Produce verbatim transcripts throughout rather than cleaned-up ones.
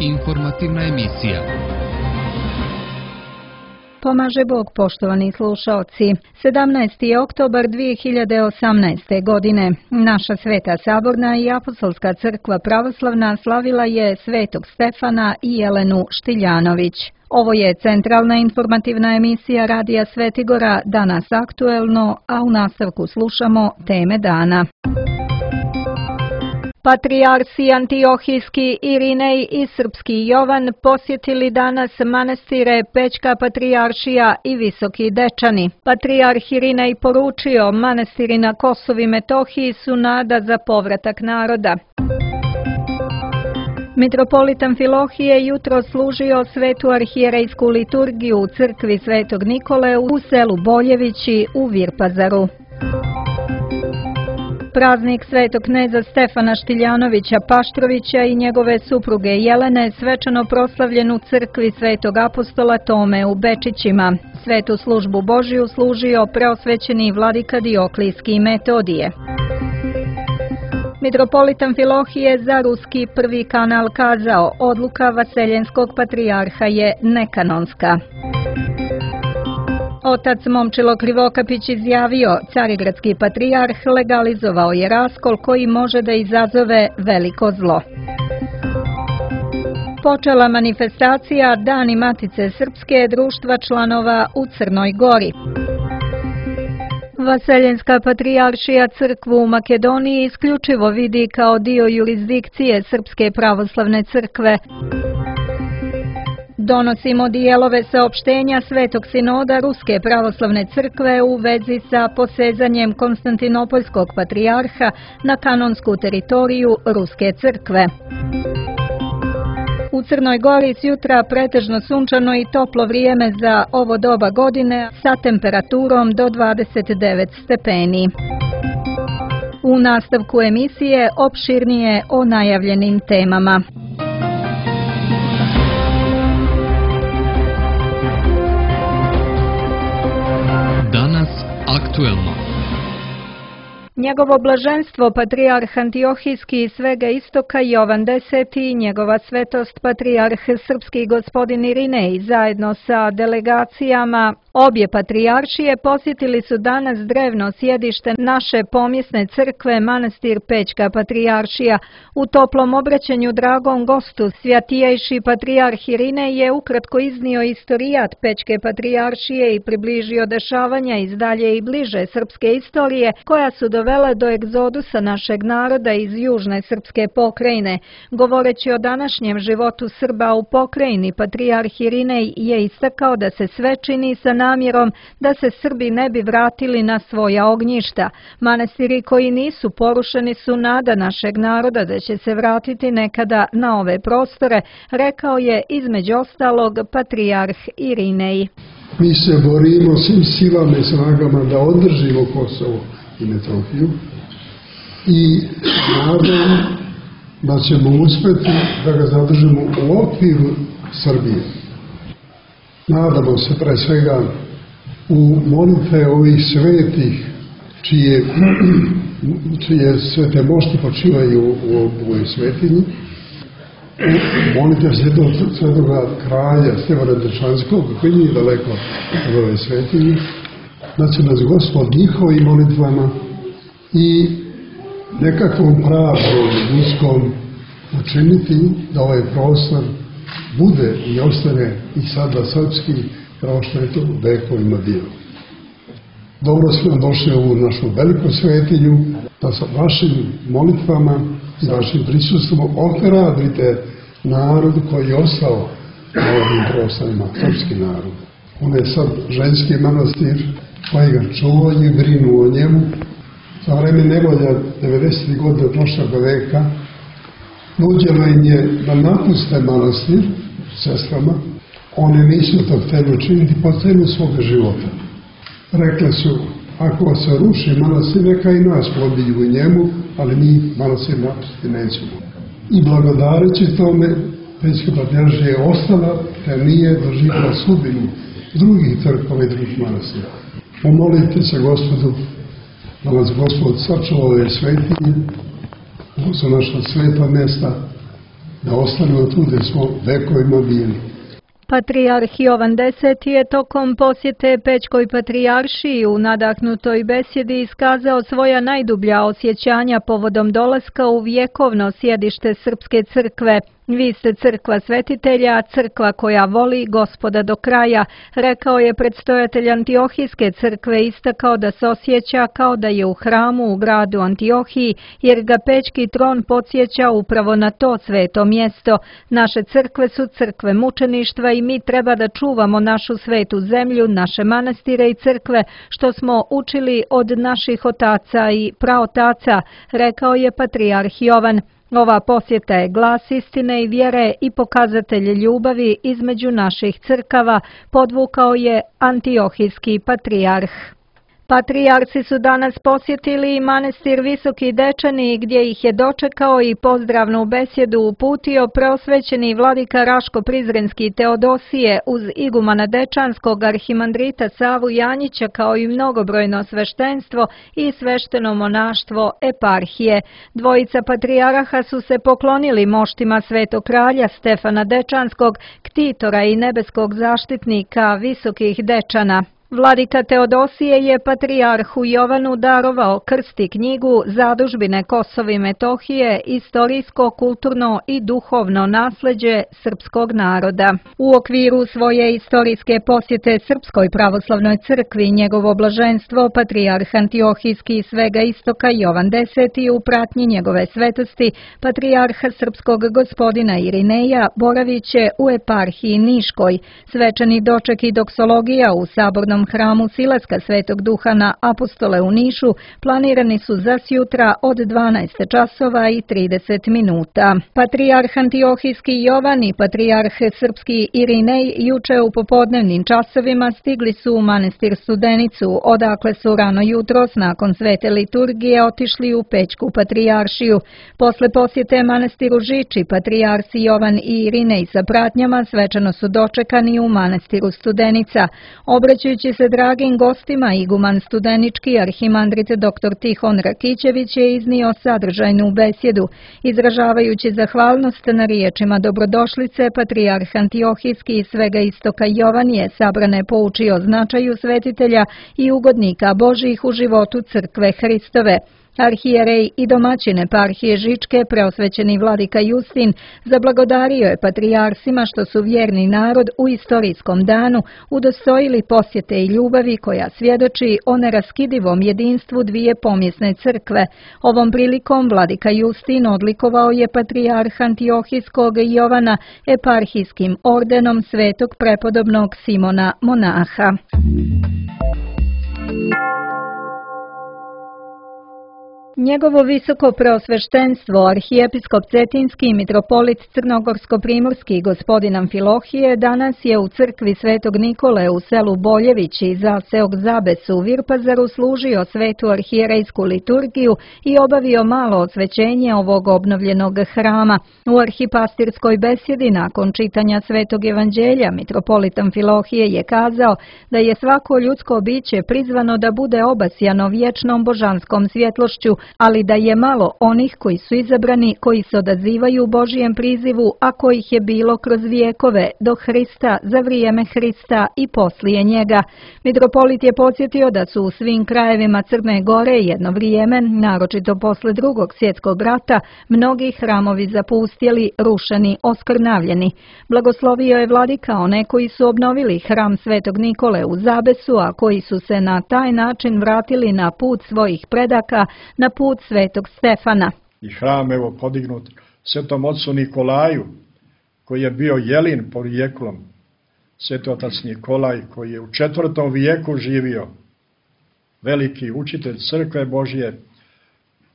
Informativna emisija. Pomaže Bog, poštovani slušaoci. sedamnaesti oktobar dvije hiljade osamnaeste. godine. Naša Sveta Saborna i Apostolska crkva pravoslavna slavila je Svetog Stefana i Jelenu Štiljanović. Ovo je centralna informativna emisija Radija Svetigora, danas aktuelno, a u nastavku slušamo teme dana. Patrijarsi Antiohijski Irinej i Srpski Jovan posjetili danas manastire Pećka Patrijaršija i Visoki Dečani. Patrijarh Irinej poručio, manastiri na Kosovu i Metohiji su nada za povratak naroda. Mitropolit Amfilohije jutro služio svetu arhijerejsku liturgiju u crkvi Svetog Nikole u selu Boljevići u Virpazaru. Praznik svetog kneza Stefana Štiljanovića Paštrovića i njegove supruge Jelene svečano proslavljen u crkvi Svetog apostola Tome u Bečićima. Svetu službu Božiju služio preosvećeni vladika Dioklijski i Metodije. Mitropolit Amfilohije za ruski prvi kanal kazao, odluka Vaseljenskog patrijarha je nekanonska. Otac Momčilo Krivokapić izjavio, Carigradski patrijarh legalizovao je raskol koji može da izazove veliko zlo. Počela manifestacija Dani Matice Srpske društva članova u Crnoj Gori. Vaseljenska patrijaršija crkvu u Makedoniji isključivo vidi kao dio jurisdikcije Srpske pravoslavne crkve. Donosimo dijelove saopštenja Svetog sinoda Ruske pravoslavne crkve u vezi sa posezanjem Konstantinopoljskog patrijarha na kanonsku teritoriju Ruske crkve. U Crnoj Gori s jutra pretežno sunčano i toplo vrijeme za ovo doba godine sa temperaturom do dvadeset devet stepeni. U nastavku emisije opširnije o najavljenim temama. Danas aktuelno. Njegovo blaženstvo patrijarh Antiohijski i svega istoka Jovan Deseti i njegova svetost patrijarh Srpski gospodin Irinej zajedno sa delegacijama obje patrijaršije posjetili su danas drevno sjedište naše pomjesne crkve manastir Pećka Patrijaršija. U toplom obraćanju dragom gostu svjatijejši patrijarh Irinej je ukratko iznio istorijat Pećke Patrijaršije i približio dešavanja iz dalje i bliže srpske istorije koja su dovele do egzodusa našeg naroda iz južne srpske pokrajine. Govoreći o današnjem životu Srba u pokrajini, patrijarh Irinej je istakao da se sve čini sa namjerom da se Srbi ne bi vratili na svoja ognjišta. Manastiri koji nisu porušeni su nada našeg naroda da će se vratiti nekada na ove prostore, rekao je između ostalog patrijarh Irinej. Mi se borimo svim silama i snagama da održimo Kosovo i Metohiju i nadam da ćemo uspjeti da ga zadržimo u okviru Srbije. Nadamo se pre svega u molitve ovih svetih čije, čije svete mošti počivaju u ovoj svetinji. Molite svetog svetoga kralja Stevana Dečanskog koji nije daleko od ove svetinje, da će nas Gospod njihovim molitvama i nekakvom pravdom ljudskom učiniti da ovaj prostor bude i ostane i sada srpski kao što je to vekovima bilo. Dobro smo došli u ovu našu veliku svetinju, da sa vašim molitvama i vašim prisustvom ohrabrite narod koji je ostao na ovim prostorima, srpski narod. On je sad ženski manastir koji ga čuvaju i brinu o njemu. Za vreme nevolja devedesetih godina prošlog veka nuđeno im je da napuste manastir sestrama. One nisu to htjeli učiniti po cenu svoga života. Rekle su, ako se ruši manastir, neka i nas pobiju u njemu, ali mi manastir napustiti nećemo. I blagodareći tome, Pećka Patrijaršija je ostala, te nije doživjela sudbinu drugih crkava i drugih manastira. Pomolite se Gospodu da nas Gospod sačuva ove svetinje, ovo su naša sveta mjesta, da ostanemo tu gde smo vekovima bili. Patrijarh Jovan Deseti je tokom posjete Pećkoj patrijaršiji u nadahnutoj besjedi iskazao svoja najdublja osjećanja povodom dolaska u vjekovno sjedište Srpske crkve. Vi ste crkva svetitelja, crkva koja voli Gospoda do kraja, rekao je predstojatelj Antiohijske crkve, istakao da se osjeća kao da je u hramu u gradu Antiohiji, jer ga Pećki tron podsjeća upravo na to sveto mjesto. Naše crkve su crkve mučeništva i mi treba da čuvamo našu svetu zemlju, naše manastire i crkve, što smo učili od naših otaca i praotaca, rekao je patrijarh Jovan. Ova posjeta je glas istine i vjere i pokazatelj ljubavi između naših crkava, podvukao je Antiohijski patrijarh. Patrijarsi su danas posjetili i manastir Visoki Dečani, gdje ih je dočekao i pozdravnu besjedu uputio preosvećeni vladika Raško-Prizrenski Teodosije uz igumana Dečanskog arhimandrita Savu Janjića, kao i mnogobrojno sveštenstvo i svešteno monaštvo eparhije. Dvojica patrijaraha su se poklonili moštima Svetog kralja Stefana Dečanskog, ktitora i nebeskog zaštitnika Visokih Dečana. Vladika Teodosije je patrijarhu Jovanu darovao krst i knjigu Zadužbine Kosova i Metohije, istorijsko, kulturno i duhovno nasleđe srpskog naroda. U okviru svoje istorijske posjete Srpskoj pravoslavnoj crkvi njegovo blaženstvo patrijarh Antiohijski svega istoka Jovan Deseti u pratnji njegove svetosti patrijarha srpskog gospodina Irineja boravit će u eparhiji Niškoj. Svečani doček i doksologija u sabornom hramu Silaska Svetog Duha na Apostole u Nišu planirani su za sjutra od dvanaest časova i trideset minuta. Patrijarh Antiohijski Jovan i patrijarh srpski Irinej juče u popodnevnim časovima stigli su u manastir Studenicu, odakle su rano jutros nakon svete liturgije otišli u Pećku patrijaršiju. Posle posjete manastiru Žiči, patrijarsi Jovan i Irinej sa pratnjama svečano su dočekani u manastiru Studenica. Obraćajući se dragim gostima, iguman studenički arhimandrit dr Tihon Rakićević je iznio sadržajnu besjedu. Izražavajući zahvalnost na riječima dobrodošlice, patrijarh Antiohijski iz svega istoka Jovan je sabrane poučio značaju svetitelja i ugodnika Božjih u životu crkve Hristove. Arhijerej i domaćin eparhije Žičke, preosvećeni vladika Justin, zablagodario je patrijarsima što su vjerni narod u istorijskom danu udostojili posjete i ljubavi koja svjedoči o neraskidivom jedinstvu dvije pomjesne crkve. Ovom prilikom vladika Justin odlikovao je patrijarha Antiohijskog Jovana eparhijskim ordenom svetog prepodobnog Simona monaha. Njegovo visoko preosveštenstvo, arhijepiskop Cetinski i mitropolit Crnogorsko-primorski gospodin Amfilohije danas je u crkvi Svetog Nikole u selu Boljević i zaseok Zabes u Virpazaru služio svetu arhijerejsku liturgiju i obavio malo osvećenje ovog obnovljenog hrama. U arhipastirskoj besjedi nakon čitanja Svetog evanđelja mitropolit Amfilohije je kazao da je svako ljudsko biće prizvano da bude obasjano vječnom božanskom svjetlošću, ali da je malo onih koji su izabrani, koji se odazivaju Božijem prizivu, a kojih je bilo kroz vijekove, do Hrista, za vrijeme Hrista i poslije njega. Mitropolit je podsjetio da su u svim krajevima Crne Gore jedno vrijeme, naročito posle drugog svjetskog rata, mnogi hramovi zapustjeli, rušeni, oskrnavljeni. Blagoslovio je vladika one koji su obnovili hram Svetog Nikole u Zabesu, a koji su se na taj način vratili na put svojih predaka, na put Svetog Stefana. I hram evo podignut Svetom ocu Nikolaju, koji je bio Jelin porijeklom, Sveti otac Nikolaj, koji je u četvrtom vijeku živio, veliki učitelj crkve Božje,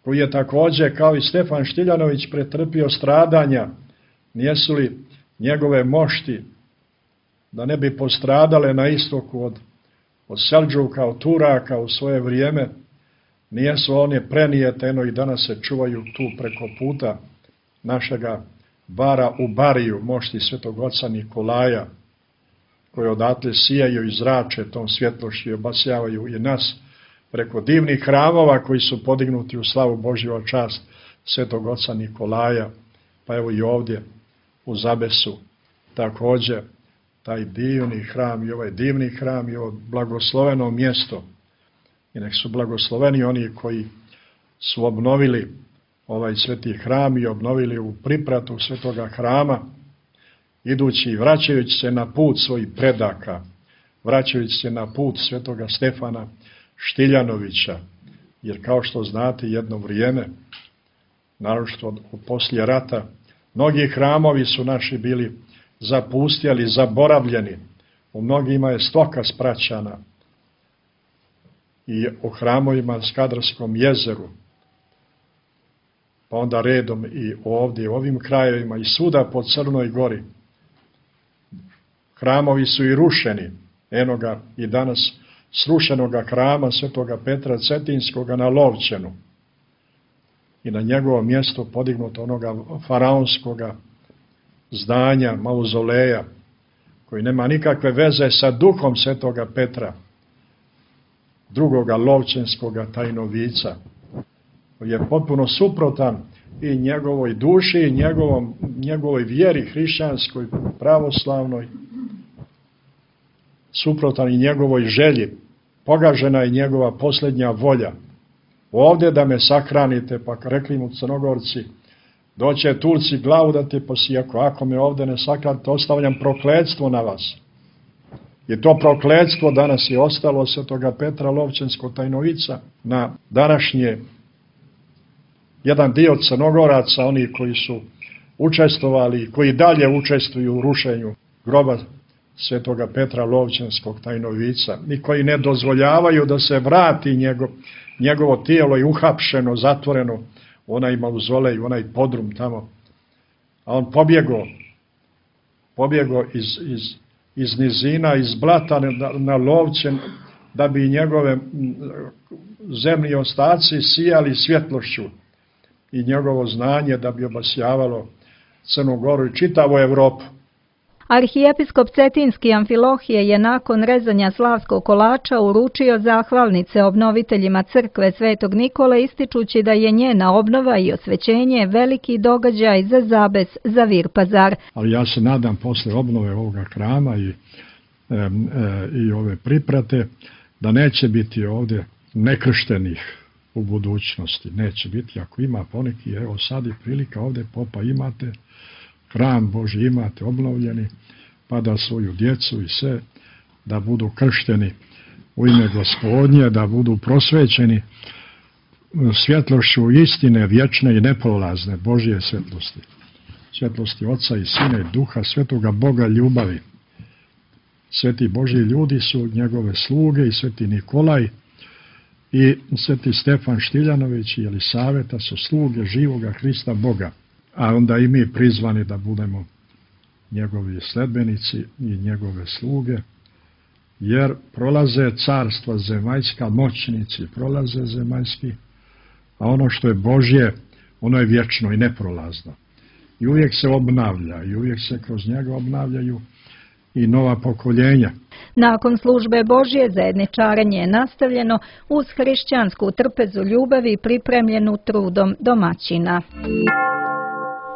koji je također kao i Stefan Štiljanović pretrpio stradanja, nijesu li njegove mošti da ne bi postradale na istoku od, od Selđuka, od Turaka u svoje vrijeme, nijesu one prenijeteno i danas se čuvaju tu preko puta našega bara u Bariju, mošti Svetog oca Nikolaja, koji odatle sijaju i zrače tom svjetlošću i obasjavaju i nas preko divnih hramova koji su podignuti u slavu Božju čast Svetog oca Nikolaja, pa evo i ovdje u zabesu. Također, taj divni hram i ovaj divni hram i ovo blagosloveno mjesto. I nek su blagosloveni oni koji su obnovili ovaj sveti hram i obnovili u pripratu svetoga hrama, idući i vraćajući se na put svojih predaka, vraćajući se na put svetoga Stefana Štiljanovića, jer kao što znate jedno vrijeme, naročito poslije rata, mnogi hramovi su naši bili zapustjeli, zaboravljeni, u mnogima je stoka spraćana i u hramovima na Skadarskom jezeru, pa onda redom i ovdje, u ovim krajevima i svuda po Crnoj Gori. Hramovi su i rušeni, eno ga i danas srušenoga hrama svetoga Petra Cetinskoga na Lovćenu i na njegovo mjesto podignuto onoga faraonskoga zdanja, mauzoleja, koji nema nikakve veze sa duhom svetoga Petra, drugoga Lovćenskoga tajnovica, koji je potpuno suprotan i njegovoj duši, i njegovom, njegovoj vjeri hrišćanskoj, pravoslavnoj, suprotan i njegovoj želji, pogažena je njegova posljednja volja. Ovdje da me sahranite, pa rekli mu Crnogorci, doće Turci glavu da te posijako, ako me ovdje ne sahranite, ostavljam prokletstvo na vas. I to prokletstvo danas je ostalo svetoga Petra Lovćenskog tajnovica na današnje jedan dio Crnogoraca, oni koji su učestvovali, koji dalje učestvuju u rušenju groba svetoga Petra Lovćenskog tajnovica i koji ne dozvoljavaju da se vrati njegov, njegovo tijelo i uhapšeno, zatvoreno u onaj mauzolej, u onaj podrum tamo. A on pobjegao, pobjegao iz, iz, iz nizina, iz blata na, na Lovćen, da bi njegove zemlji ostaci sijali svjetlošću i njegovo znanje da bi obasjavalo Crnu Goru i čitavu Evropu. Arhijepiskop Cetinski Amfilohije je nakon rezanja slavskog kolača uručio zahvalnice obnoviteljima crkve Svetog Nikole, ističući da je njena obnova i osvećenje veliki događaj za Zabes, za Virpazar. Ali ja se nadam posle obnove ovoga hrama i, e, e, i ove priprate da neće biti ovdje nekrštenih u budućnosti. Neće biti, ako ima poneki, evo sad je prilika, ovdje popa imate, hram Božji imate obnovljeni, pa da svoju djecu i sve, da budu kršteni u ime Gospodnje, da budu prosvećeni svjetlošću istine vječne i neprolazne Božje svjetlosti. Svjetlosti Oca i Sina i Duha, svetoga Boga ljubavi. Sveti Božji ljudi su njegove sluge i sveti Nikolaj i sveti Stefan Štiljanović i Jelisaveta su sluge živoga Hrista Boga. A onda i mi prizvani da budemo njegovi sledbenici i njegove sluge, jer prolaze carstva zemaljska, moćnici prolaze zemaljski, a ono što je Božje, ono je vječno i neprolazno. I uvijek se obnavlja, i uvijek se kroz njega obnavljaju i nova pokoljenja. Nakon službe Božje zajedničarenje je nastavljeno uz hrišćansku trpezu ljubavi pripremljenu trudom domaćina.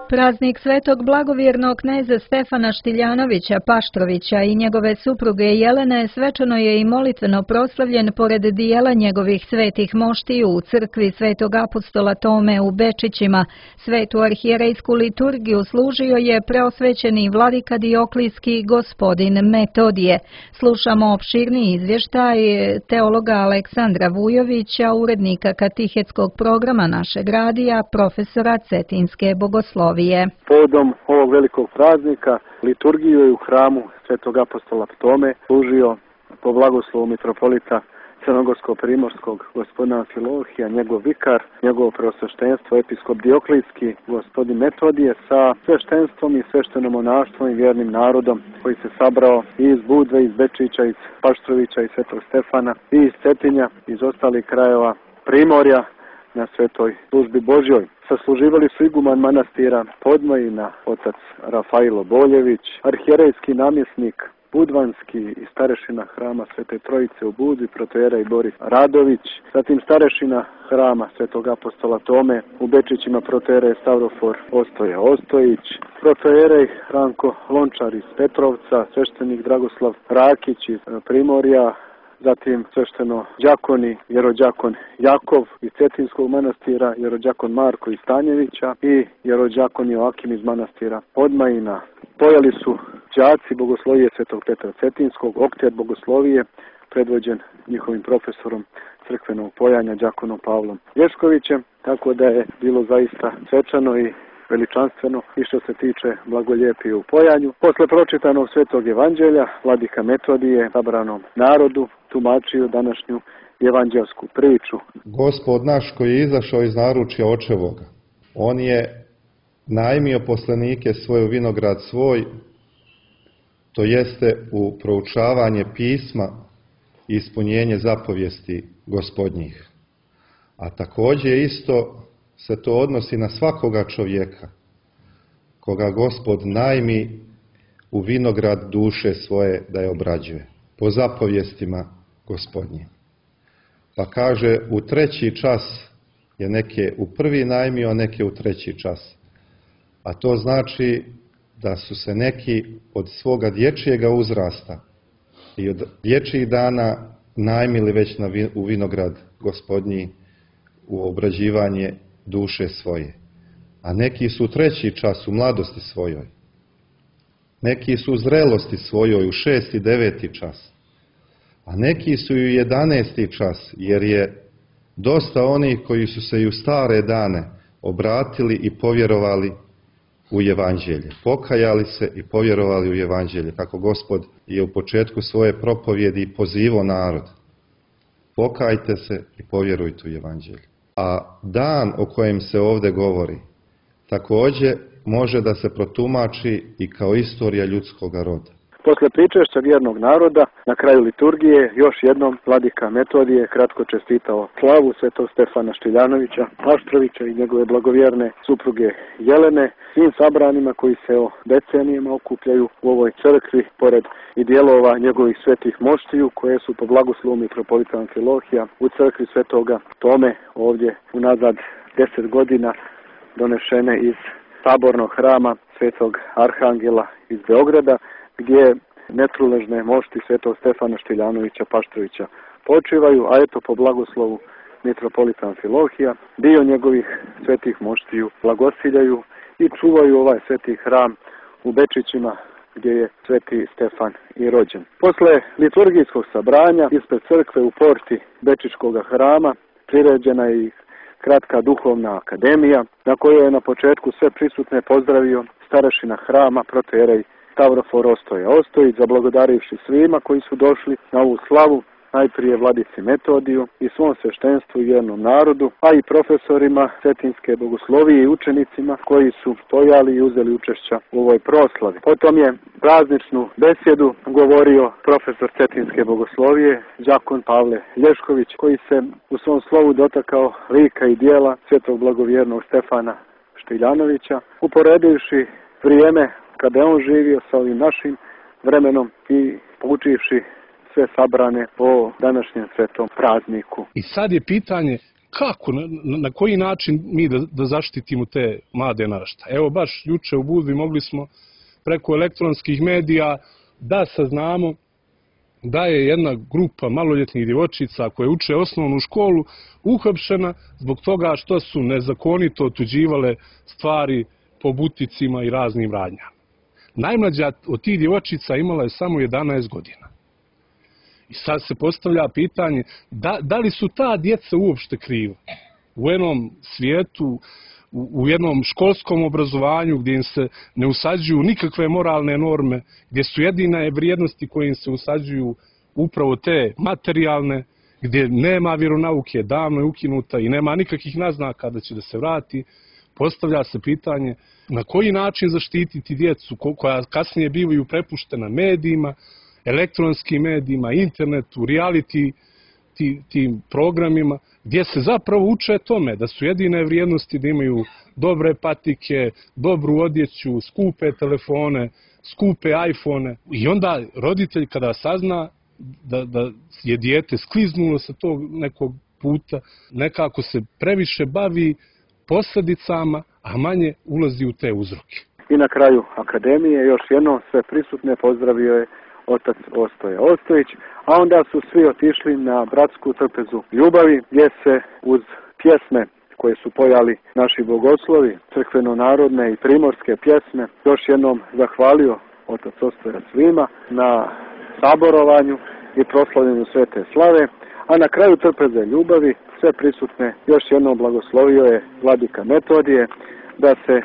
Praznik svetog blagovjernog kneza Stefana Štiljanovića Paštrovića i njegove supruge Jelene svečano je i molitveno proslavljen pored dijela njegovih svetih moštiju u crkvi svetog apostola Tome u Bečićima. Svetu arhijerejsku liturgiju služio je preosvećeni vladika Dioklijski gospodin Metodije. Slušamo opširni izvještaj teologa Aleksandra Vujovića, urednika katehetskog programa našeg radija, profesora Cetinske bogoslovije. Povodom ovog velikog praznika liturgiju je u hramu svetog apostola Tome služio po blagoslovu mitropolita Crnogorsko-primorskog gospodina Amfilohija, njegov vikar, njegovo preosveštenstvo, episkop Dioklijski, gospodin Metodije sa sveštenstvom i sveštenom monaštvom i vjernim narodom koji se sabrao i iz Budve, iz Bečića, iz Paštrovića, iz Svetog Stefana i iz Cetinja, iz ostalih krajeva Primorja na svetoj službi Božjoj. Sasluživali su iguman manastira Podmojina, otac Rafailo Boljević, arhijerejski namjesnik Budvanski i starešina hrama Svete Trojice u Budvi, protoijerej Boris Radović, zatim starešina hrama Svetog apostola Tome u Bečićima, protoijerej Stavrofor Ostoja Ostojić, protoijerej Ranko Lončar iz Petrovca, sveštenik Dragoslav Rakić iz Primorja, zatim svešteno đakoni, jerođakon Jakov iz Cetinskog manastira, jerođakon Marko iz Stanjevića i jerođakon Joakim iz manastira Odmajina. Pojeli su đaci bogoslovije Svetog Petra Cetinskog, oktet bogoslovije, predvođen njihovim profesorom crkvenog pojanja, đakonom Pavlom Lješkovićem, tako da je bilo zaista svečano i veličanstveno i što se tiče blagoljepije u pojanju. Posle pročitanog Svetog evanđelja, vladika Metodije sabranom narodu tumačio današnju evanđelsku priču. Gospod naš koji je izašao iz naručja očevoga, on je najmio poslanike svoj u vinograd svoj, to jeste u proučavanje pisma i ispunjenje zapovijesti gospodnjih. A također isto se to odnosi na svakoga čovjeka, koga Gospod najmi u vinograd duše svoje da je obrađuje, po zapovjestima gospodnjim. Pa kaže, u treći čas je neke u prvi najmio, a neke u treći čas. A to znači da su se neki od svoga dječjega uzrasta i od dječjih dana najmili već na vi, u vinograd gospodnji, u obrađivanje duše svoje. A neki su u treći čas, u mladosti svojoj. Neki su u zrelosti svojoj, u šesti, deveti čas. A neki su i u jedanesti čas, jer je dosta onih koji su se i u stare dane obratili i povjerovali u evanđelje. Pokajali se i povjerovali u evanđelje, kako Gospod je u početku svoje propovjedi pozivao narod. Pokajte se i povjerujte u evanđelje. A dan o kojem se ovdje govori također može da se protumači i kao istorija ljudskog roda. Posle pričešća vjernog naroda, na kraju liturgije, još jednom vladika Metodije kratko čestitao slavu svetog Stefana Štiljanovića, Paštrovića i njegove blagovjerne supruge Jelene, svim sabranima koji se o decenijama okupljaju u ovoj crkvi, pored i dijelova njegovih svetih moštiju, koje su po blagoslovu mitropolita Amfilohija u crkvi Svetoga Tome ovdje unazad deset godina donešene iz sabornog hrama Svetog Arhangela iz Beograda, gdje netruležne mošti svetog Stefana Štiljanovića Paštrovića počivaju, a eto po blagoslovu mitropolita Amfilohija dio njegovih svetih moštiju blagosiljaju i čuvaju ovaj sveti hram u Bečićima, gdje je sveti Stefan i rođen. Posle liturgijskog sabranja ispred crkve u porti Bečičkog hrama priređena je i kratka duhovna akademija, na kojoj je na početku sve prisutne pozdravio starešina hrama protoijerej Stavrofor Ostoja Ostojić, zablagodarivši svima koji su došli na ovu slavu, najprije vladici Metodiju i svom sveštenstvu i vjernom narodu, a i profesorima Cetinske bogoslovije i učenicima koji su stojali i uzeli učešća u ovoj proslavi. Potom je prazničnu besjedu govorio profesor Cetinske bogoslovije, đakon Pavle Lješković, koji se u svom slovu dotakao lika i dijela svetog blagovjernog Stefana Štiljanovića, uporedivši vrijeme kada je on živio sa ovim našim vremenom i poučivši sve sabrane po današnjem svetom prazniku. I sad je pitanje kako, na, na koji način mi da, da zaštitimo te mlade naraštaje. Evo baš juče u Budvi mogli smo preko elektronskih medija da saznamo da je jedna grupa maloljetnih djevojčica koje uče osnovnu školu uhapšena zbog toga što su nezakonito otuđivale stvari po buticima i raznim radnjama. Najmlađa od tih djevojčica imala je samo jedanaest godina. I sad se postavlja pitanje, da, da li su ta djeca uopšte kriva? U jednom svijetu, u, u jednom školskom obrazovanju gdje im se ne usađuju nikakve moralne norme, gdje su jedine vrijednosti koje im se usađuju upravo te materijalne, gdje nema vjeronauke, davno je ukinuta i nema nikakvih naznaka da će da se vrati, postavlja se pitanje na koji način zaštititi djecu koja kasnije bivaju prepuštena medijima, elektronskim medijima, internetu, reality ti, tim programima, gdje se zapravo uče tome da su jedine vrijednosti da imaju dobre patike, dobru odjeću, skupe telefone, skupe iPhone. I onda roditelj kada sazna da, da je dijete skliznulo sa tog nekog puta, nekako se previše bavi posljedicama, a manje ulazi u te uzroke. I na kraju akademije još jednom sve prisutne pozdravio je otac Ostoje Ostojić, a onda su svi otišli na bratsku trpezu ljubavi, gdje se uz pjesme koje su pojali naši bogoslovi, crkveno-narodne i primorske pjesme, još jednom zahvalio otac Ostoja svima na saborovanju i proslavljanju svete slave, a na kraju trpeze ljubavi sve prisutne još jednom blagoslovio je vladika Metodije da se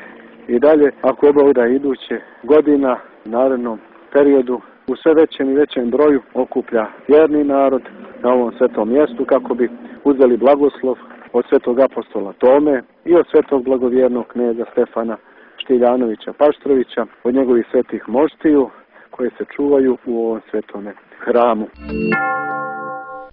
i dalje, ako je Bog da iduće godina, u narednom periodu, u sve većem i većem broju okuplja vjerni narod na ovom svetom mjestu kako bi uzeli blagoslov od svetog apostola Tome i od svetog blagovjernog kneza Stefana Štiljanovića Paštrovića, od njegovih svetih moštiju koje se čuvaju u ovom svetome hramu.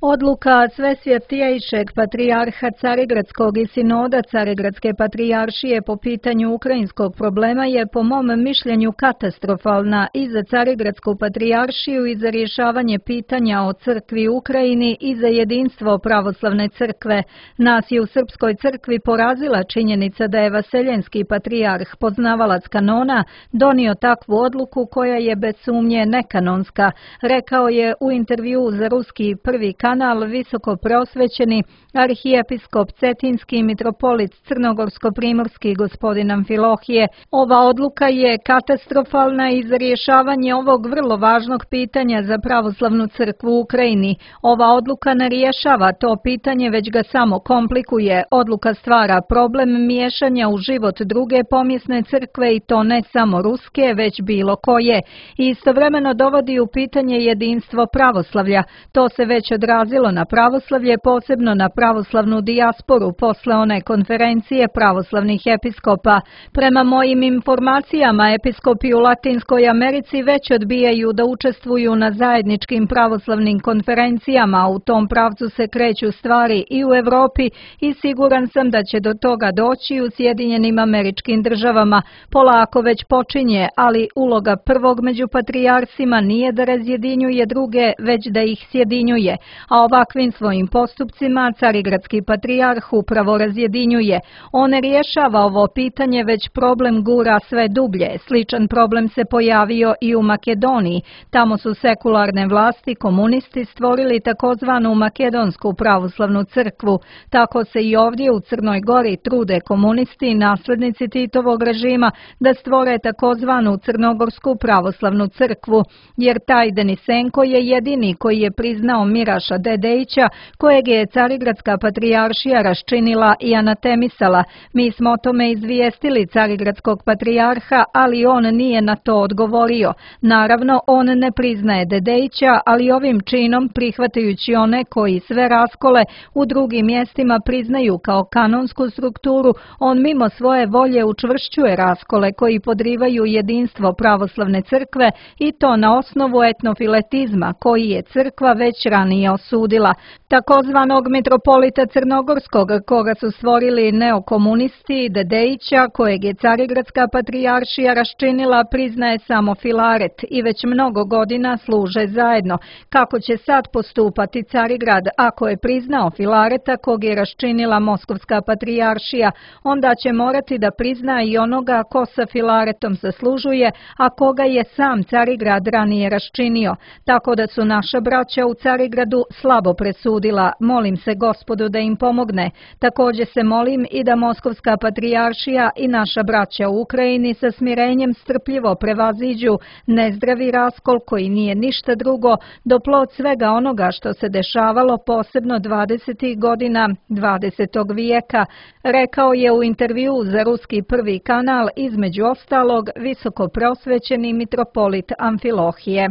Odluka Svesvjetijejšeg patrijarha Carigradskog i sinoda Carigradske patrijaršije po pitanju ukrajinskog problema je po mom mišljenju katastrofalna i za Carigradsku patrijaršiju i za rješavanje pitanja o crkvi u Ukrajini i za jedinstvo pravoslavne crkve. Nas je u Srpskoj crkvi porazila činjenica da je Vaseljenski patrijarh, poznavalac kanona, donio takvu odluku koja je bez sumnje nekanonska, rekao je u intervju za ruski prvi kanal visoko preosvećeni arhijepiskop Cetinski mitropolit Crnogorsko-primorski gospodin Amfilohije. Ova odluka je katastrofalna i za rješavanje ovog vrlo važnog pitanja za pravoslavnu crkvu u Ukrajini. Ova odluka ne rješava to pitanje, već ga samo komplikuje. Odluka stvara problem miješanja u život druge pomjesne crkve i to ne samo ruske, već bilo koje. I istovremeno dovodi u pitanje jedinstvo pravoslavlja. To se već odrazilo na pravoslavlje, posebno na pravoslavnu dijasporu posle one konferencije pravoslavnih episkopa. Prema mojim informacijama, episkopi u Latinskoj Americi već odbijaju da učestvuju na zajedničkim pravoslavnim konferencijama. U tom pravcu se kreću stvari i u Evropi i siguran sam da će do toga doći u Sjedinjenim Američkim Državama. Polako već počinje, ali uloga prvog među patrijarsima nije da razjedinjuje druge, već da ih sjedinjuje. A ovakvim svojim postupcima Carigradski patrijarh upravo razjedinjuje. On ne rješava ovo pitanje, već problem gura sve dublje. Sličan problem se pojavio i u Makedoniji. Tamo su sekularne vlasti, komunisti, stvorili takozvanu Makedonsku pravoslavnu crkvu. Tako se i ovdje u Crnoj Gori trude komunisti i naslednici Titovog režima da stvore takozvanu Crnogorsku pravoslavnu crkvu, jer taj Denisenko je jedini koji je priznao Miraša Dedejića, kojeg je Carigradska patrijaršija raščinila i anatemisala. Mi smo o tome izvijestili Carigradskog patrijarha, ali on nije na to odgovorio. Naravno, on ne priznaje Dedejića, ali ovim činom, prihvatajući one koji sve raskole u drugim mjestima priznaju kao kanonsku strukturu, on mimo svoje volje učvršćuje raskole koji podrivaju jedinstvo pravoslavne crkve i to na osnovu etnofiletizma koji je crkva već ranije osudila. Takozvanog mitropolita Crnogorskog, koga su stvorili neokomunisti, Dedejića, kojeg je Carigradska patrijaršija raščinila, priznaje samo Filaret i već mnogo godina služe zajedno. Kako će sad postupati Carigrad ako je priznao Filareta, kog je raščinila Moskovska patrijaršija? Onda će morati da prizna i onoga ko sa Filaretom zaslužuje, a koga je sam Carigrad ranije raščinio. Tako da su naša braća u Carigradu slabo presudila. Molim se Gospodu da im pomogne. Također se molim i da Moskovska patrijaršija i naša braća u Ukrajini sa smirenjem strpljivo prevaziđu nezdravi raskol koji nije ništa drugo do plod svega onoga što se dešavalo posebno dvadesetih godina dvadesetog vijeka, rekao je u intervju za ruski prvi kanal između ostalog visoko prosvećeni mitropolit Amfilohije.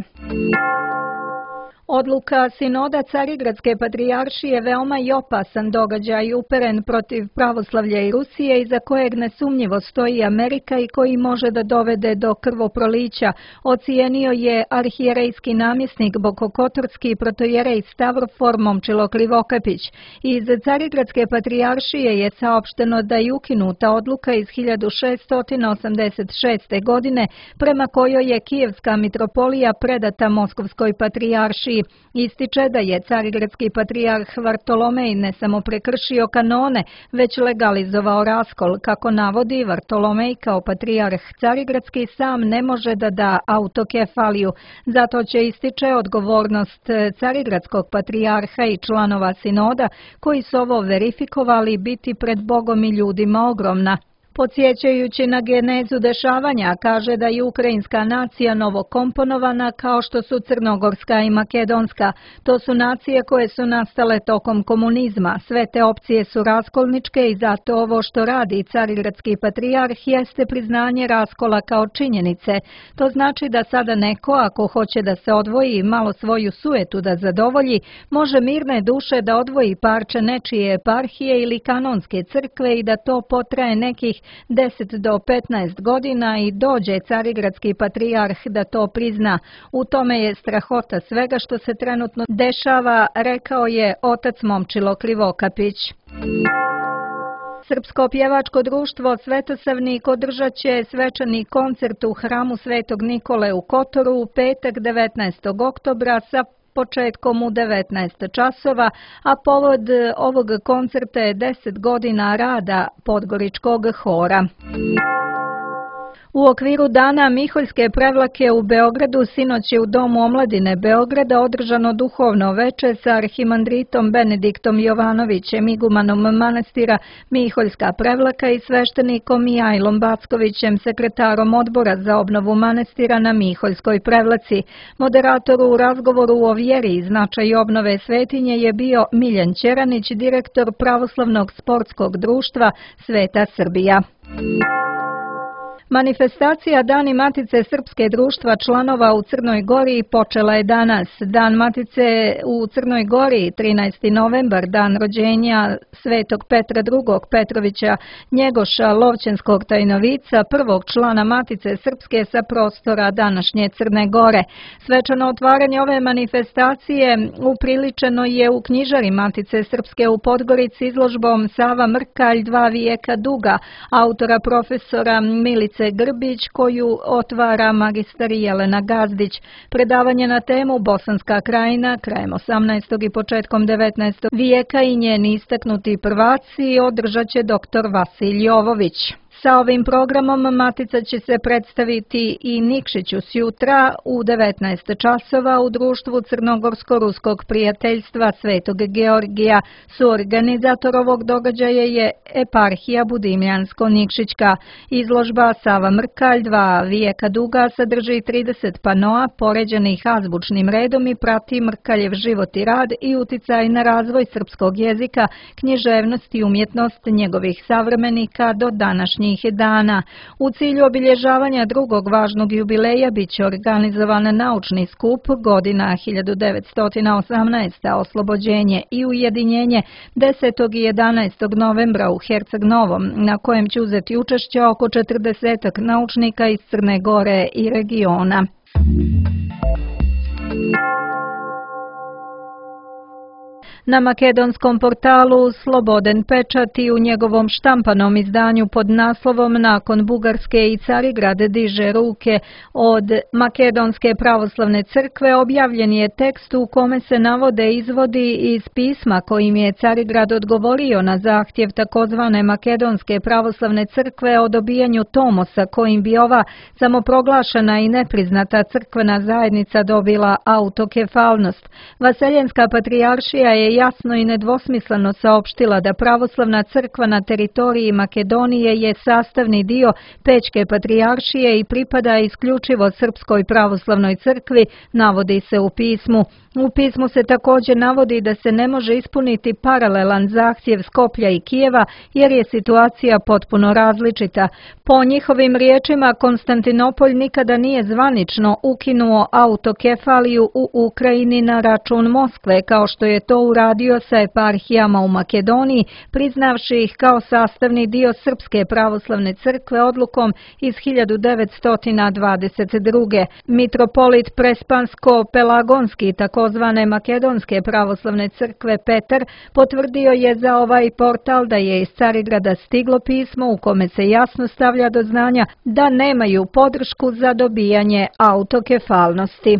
Odluka sinoda Carigradske patrijaršije veoma je opasan događaj uperen protiv pravoslavlja i Rusije, iza kojeg nesumnjivo stoji Amerika i koji može da dovede do krvoprolića, ocijenio je arhijerejski namjesnik Bokokotorski protojerej Stavrofor Momčilo Krivokapić. Iz Carigradske patrijaršije je saopšteno da je ukinuta odluka iz hiljadu šeststo osamdeset šeste. godine prema kojoj je Kijevska mitropolija predata Moskovskoj patrijaršiji. Ističe da je carigradski patrijarh Vartolomej ne samo prekršio kanone, već legalizovao raskol. Kako navodi, Vartolomej kao patrijarh carigradski sam ne može da da autokefaliju. Zato će, ističe, odgovornost carigradskog patrijarha i članova sinoda koji su ovo verifikovali biti pred Bogom i ljudima ogromna. Podsjećajući na genezu dešavanja, kaže da je ukrajinska nacija novokomponovana kao što su crnogorska i makedonska. To su nacije koje su nastale tokom komunizma. Sve te opcije su raskolničke i zato ovo što radi carigradski patrijarh jeste priznanje raskola kao činjenice. To znači da sada neko, ako hoće da se odvoji i malo svoju sujetu da zadovolji, može mirne duše da odvoji parče nečije eparhije ili kanonske crkve i da to potraje nekih deset do petnaest godina i dođe carigradski patrijarh da to prizna. U tome je strahota svega što se trenutno dešava, rekao je otac Momčilo Krivokapić. Srpsko pjevačko društvo Svetosavnik održat će svečani koncert u hramu Svetog Nikole u Kotoru u petak devetnaestog oktobra sa početkom u devetnaest časova, a povod ovog koncerta je deset godina rada Podgoričkog hora. U okviru Dana Miholjske prevlake u Beogradu sinoć je u Domu omladine Beograda održano duhovno veče sa arhimandritom Benediktom Jovanovićem, igumanom manastira Miholjska prevlaka i sveštenikom Mijajlom Backovićem, sekretarom odbora za obnovu manastira na Miholjskoj prevlaci. Moderator u razgovoru o vjeri i značaju obnove svetinje je bio Miljan Ćeranić, direktor Pravoslavnog sportskog društva Sveta Srbija. Manifestacija Dani Matice Srpske društva članova u Crnoj Gori počela je danas. Dan Matice u Crnoj Gori, trinaesti novembar, dan rođenja Svetog Petra drugog Petrovića Njegoša, Lovćenskog tajnovica, prvog člana Matice Srpske sa prostora današnje Crne Gore. Svečano otvaranje ove manifestacije upriličeno je u knjižari Matice Srpske u Podgorici izložbom Sava Mrkalj, dva vijeka duga, autora profesora Milice Grbić, koju otvara magistar Jelena Gazdić. Predavanje na temu Bosanska krajina krajem osamnaestog i početkom devetnaestog vijeka i njeni istaknuti prvaci održat će doktor Vasilj Jovović. Sa ovim programom Matica će se predstaviti i Nikšiću sjutra u devetnaest časova u društvu Crnogorsko-ruskog prijateljstva Svetog Georgija. Suorganizator ovog događaja je eparhija Budimljansko-Nikšićka. Izložba Sava Mrkalj, dva vijeka duga, sadrži trideset panoa poređenih azbučnim redom i prati Mrkaljev život i rad i uticaj na razvoj srpskog jezika, književnost i umjetnost njegovih savremenika do današnjih dana. U cilju obilježavanja drugog važnog jubileja biće organizovan naučni skup godina hiljadu devetsto osamnaesta. Oslobođenje i ujedinjenje desetog i jedanaestog novembra u Herceg Novom, na kojem će uzeti učešće oko četrdesetak naučnika iz Crne Gore i regiona. Na makedonskom portalu Sloboden pečat i u njegovom štampanom izdanju pod naslovom Nakon Bugarske i Carigrad diže ruke od Makedonske pravoslavne crkve objavljen je tekst u kome se navode izvodi iz pisma kojim je Carigrad odgovorio na zahtjev takozvane Makedonske pravoslavne crkve o dobijanju tomosa kojim bi ova samoproglašena i nepriznata crkvena zajednica dobila autokefalnost. Vaseljenska patrijaršija je jasno i nedvosmisleno saopštila da pravoslavna crkva na teritoriji Makedonije je sastavni dio Pećke patrijaršije i pripada isključivo Srpskoj pravoslavnoj crkvi, navodi se u pismu. U pismu se također navodi da se ne može ispuniti paralelan zahtjev Skoplja i Kijeva jer je situacija potpuno različita. Po njihovim riječima, Konstantinopolj nikada nije zvanično ukinuo autokefaliju u Ukrajini na račun Moskve, kao što je to uradio sa eparhijama u Makedoniji, priznavši ih kao sastavni dio Srpske pravoslavne crkve odlukom iz hiljadu devetsto dvadeset druge. Mitropolit Prespansko-Pelagonski, takozvane Makedonske pravoslavne crkve Petar, potvrdio je za ovaj portal da je iz Carigrada stiglo pismo u kome se jasno stavlja do znanja da nemaju podršku za dobijanje autokefalnosti.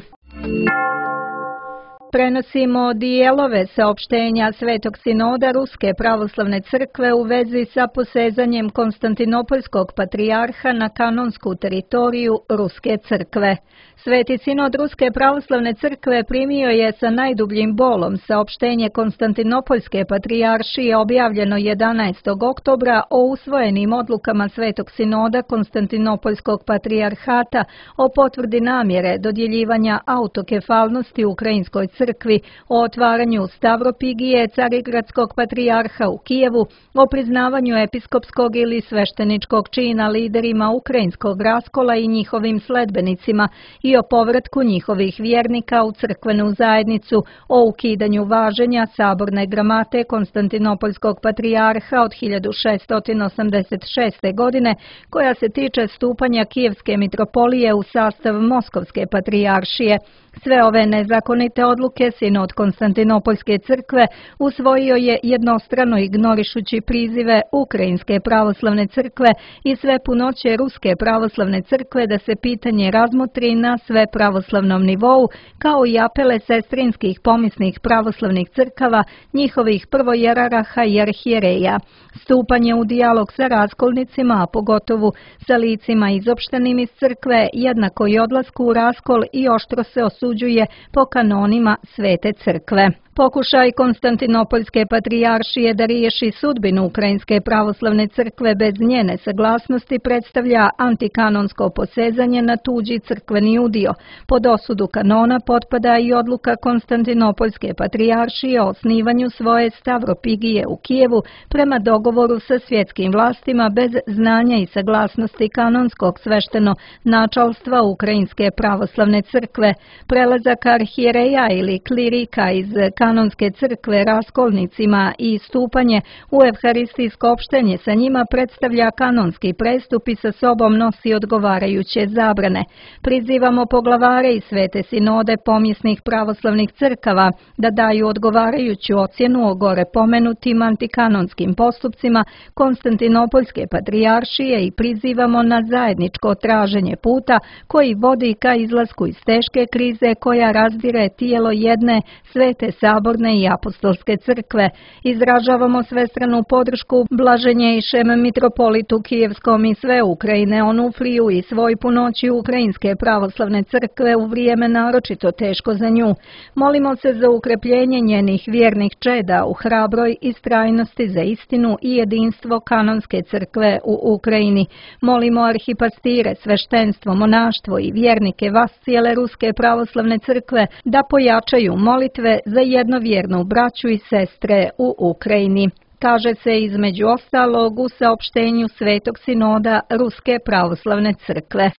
Prenosimo dijelove saopštenja Svetog sinoda Ruske pravoslavne crkve u vezi sa posezanjem Konstantinopoljskog patrijarha na kanonsku teritoriju Ruske crkve. Sveti sinod Ruske pravoslavne crkve primio je sa najdubljim bolom saopštenje Konstantinopoljske patrijaršije objavljeno jedanaestog oktobra o usvojenim odlukama Svetog sinoda Konstantinopoljskog patrijarhata o potvrdi namjere dodjeljivanja autokefalnosti Ukrajinskoj crkvi, o otvaranju Stavropigije Carigradskog patrijarha u Kijevu, o priznavanju episkopskog ili svešteničkog čina liderima ukrajinskog raskola i njihovim sledbenicima i o povratku njihovih vjernika u crkvenu zajednicu, o ukidanju važenja saborne gramate Konstantinopoljskog patrijarha od hiljadu šeststo osamdeset šeste. godine, koja se tiče stupanja Kijevske mitropolije u sastav Moskovske patrijaršije. Sve ove nezakonite odluke sinod Konstantinopoljske crkve usvojio je jednostrano ignorišući prizive Ukrajinske pravoslavne crkve i sve punoće Ruske pravoslavne crkve da se pitanje razmotri na sve pravoslavnom nivou, kao i apele sestrinskih pomisnih pravoslavnih crkava, njihovih prvojeraraha i arhijereja. Stupanje u dijalog sa raskolnicima, a pogotovo sa licima izopštenim iz crkve, jednako i odlasku u raskol i oštro se osuđuje po kanonima Svete crkve. Pokušaj Konstantinopoljske patrijaršije da riješi sudbinu Ukrajinske pravoslavne crkve bez njene saglasnosti predstavlja antikanonsko posezanje na tuđi crkveni udio. Pod osudu kanona potpada i odluka Konstantinopoljske patrijaršije o osnivanju svoje Stavropigije u Kijevu prema dogovoru sa svjetskim vlastima bez znanja i saglasnosti kanonskog svešteno načalstva Ukrajinske pravoslavne crkve. Prelazak arhijereja ili klirika iz kanonske crkve raskolnicima i stupanje u evharistijsko opštenje sa njima predstavlja kanonski prestup i sa sobom nosi odgovarajuće zabrane. Prizivamo poglavare i svete sinode pomjesnih pravoslavnih crkava da daju odgovarajuću ocjenu o gore pomenutim antikanonskim postupcima Konstantinopoljske patrijaršije i prizivamo na zajedničko traženje puta koji vodi ka izlasku iz teške krize koja razdire tijelo jedne svete saborne i apostolske crkve. Izražavamo svestranu podršku blaženjejšem mitropolitu Kijevskom i sve Ukrajine, Onufriju i svoj punoći Ukrajinske pravoslavne crkve u vrijeme naročito teško za nju. Molimo se za ukrepljenje njenih vjernih čeda u hrabroj istrajnosti za istinu i jedinstvo kanonske crkve u Ukrajini. Molimo arhipastire, sveštenstvo, monaštvo i vjernike vas cijele Ruske pravoslavne crkve da pojačaju molitve za jednovjernu braću i sestre u Ukrajini. Kaže se između ostalog u saopštenju Svetog sinoda Ruske pravoslavne crkve.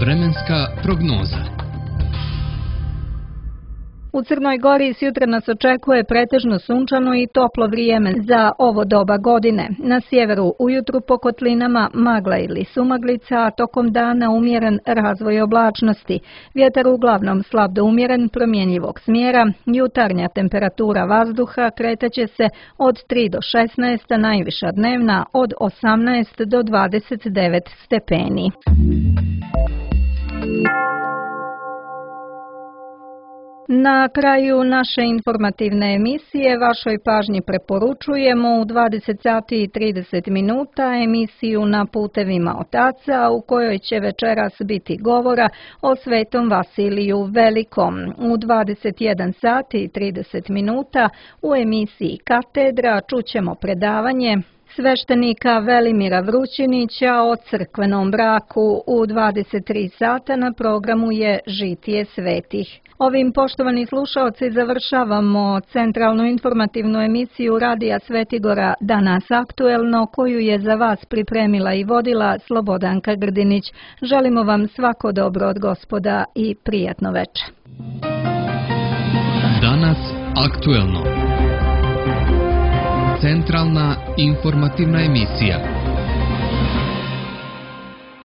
Vremenska prognoza. U Crnoj Gori sjutra nas očekuje pretežno sunčano i toplo vrijeme za ovo doba godine. Na sjeveru ujutru po kotlinama magla ili sumaglica, a tokom dana umjeren razvoj oblačnosti. Vjetar uglavnom slab do umjeren promjenjivog smjera, jutarnja temperatura vazduha kretaće se od tri do šesnaest, a najviša dnevna od osamnaest do dvadeset devet stepeni. Na kraju naše informativne emisije vašoj pažnji preporučujemo u dvadeset sati i trideset minuta emisiju Na putevima otaca u kojoj će večeras biti govora o Svetom Vasiliju Velikom. U dvadeset jedan sati i trideset minuta u emisiji Katedra čućemo predavanje sveštenika Velimira Vrućinića o crkvenom braku. U dvadeset tri sata na programu je Žitije svetih. Ovim, poštovani slušaoci, završavamo centralnu informativnu emisiju Radija Svetigora Danas aktuelno, koju je za vas pripremila i vodila Slobodanka Grdinić. Želimo vam svako dobro od Gospoda i prijatno veče. Danas aktuelno. Centralna informativna emisija.